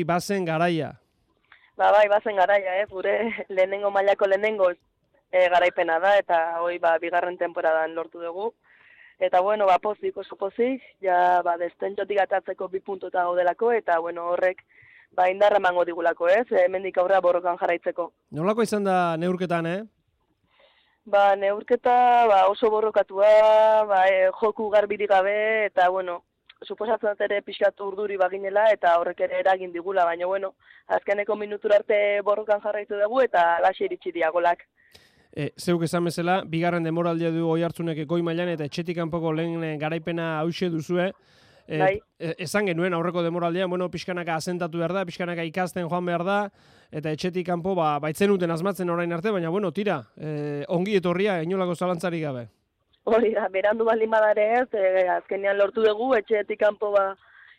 Bazen garaia. Bai, bazen garaia, gure lehenengo mailako lehenengo garaipena da, eta hoi bigarren temporadan lortu dugu. Eta bueno, pozik, oso pozik, ja destentxotik atatzeko 2 puntuta gaudelako, eta bueno, horrek indarra emango digulako, hemendik aurrera borrokan jarraitzeko. Nolako izan da neurketan, Neurketa oso borrokatua, joku garbirik gabe, eta bueno, suposatzen dut ere pixkat urduri baginela, eta horrek ere eragin digula, baina bueno, azkeneko minutura arte borrokan jarraitu dugu, eta laxe iritsi dira golak. Zeuk esan bezala, bigarren demoraldia du Oiartzunek goi mailan eta etxetik kanpoko lehen garaipena hauxe duzue. Esan genuen aurreko demoraldian, pixkanaka asentatu behar da, pixkanaka ikasten joan behar da, eta etxetik kanpo baitzen uten asmatzen orain arte, baina tira, ongi etorria, inolako zalantzarik gabe. Hori da, berandu baldin badare azkenean lortu dugu, etxetik kanpo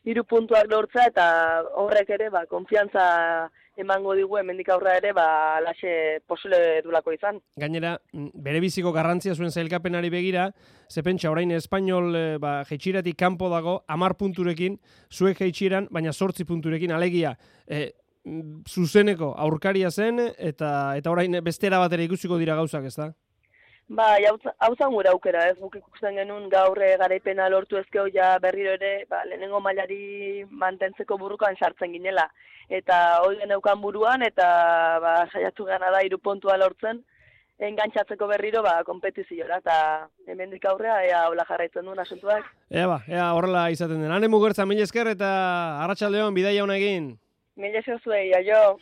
3 puntuak lortza, eta horrek ere konfiantza emango digu hemendik aurra ere laxe posible dulako izan. Gainera, bere biziko garrantzia zuen zailkapenari begira, ze pentsa orain Espainol jeitxiratik kanpo dago 10 punturekin, zuek jeitxiran, baina 8 punturekin, alegia zuzeneko aurkaria zen, eta orain bestera batera ikusiko dira gauzak, ez da? Hau zan gure aukera, guk ikusten genuen gaur garaipena lortu ezkeo berriro ere lehenengo mailari mantentzeko burrukan sartzen ginela. Eta hori geneukan buruan, eta saiatu gana da 3 puntua lortzen, engantzatzeko berriro kompetiziora, eta hemendik aurrea ea hola jarraitzen duen asuntuak. Ea horrela izaten den. Ane Mugertza, mila esker eta arratsaldeon bidaia ona egin. Mila esker zuei, aio.